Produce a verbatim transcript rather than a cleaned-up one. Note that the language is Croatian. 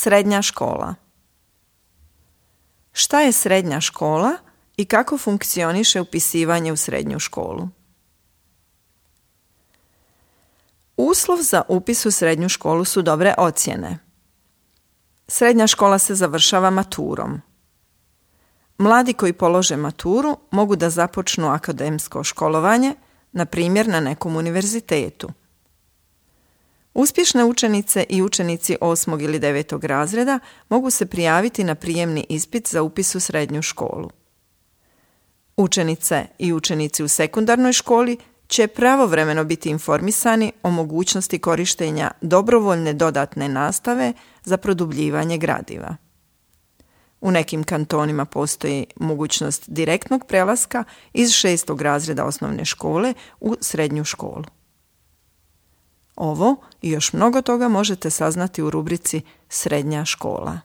Srednja škola. Šta je srednja škola i kako funkcioniše upisivanje u srednju školu? Uslov za upis u srednju školu su dobre ocjene. Srednja škola se završava maturom. Mladi koji polože maturu mogu da započnu akademsko školovanje, na primjer na nekom univerzitetu. Uspješne učenice i učenici osmog ili devetog razreda mogu se prijaviti na prijemni ispit za upis u srednju školu. Učenice i učenici u sekundarnoj školi će pravovremeno biti informisani o mogućnosti korištenja dobrovoljne dodatne nastave za produbljivanje gradiva. U nekim kantonima postoji mogućnost direktnog prelaska iz šestog razreda osnovne škole u srednju školu. Ovo i još mnogo toga možete saznati u rubrici Srednja škola.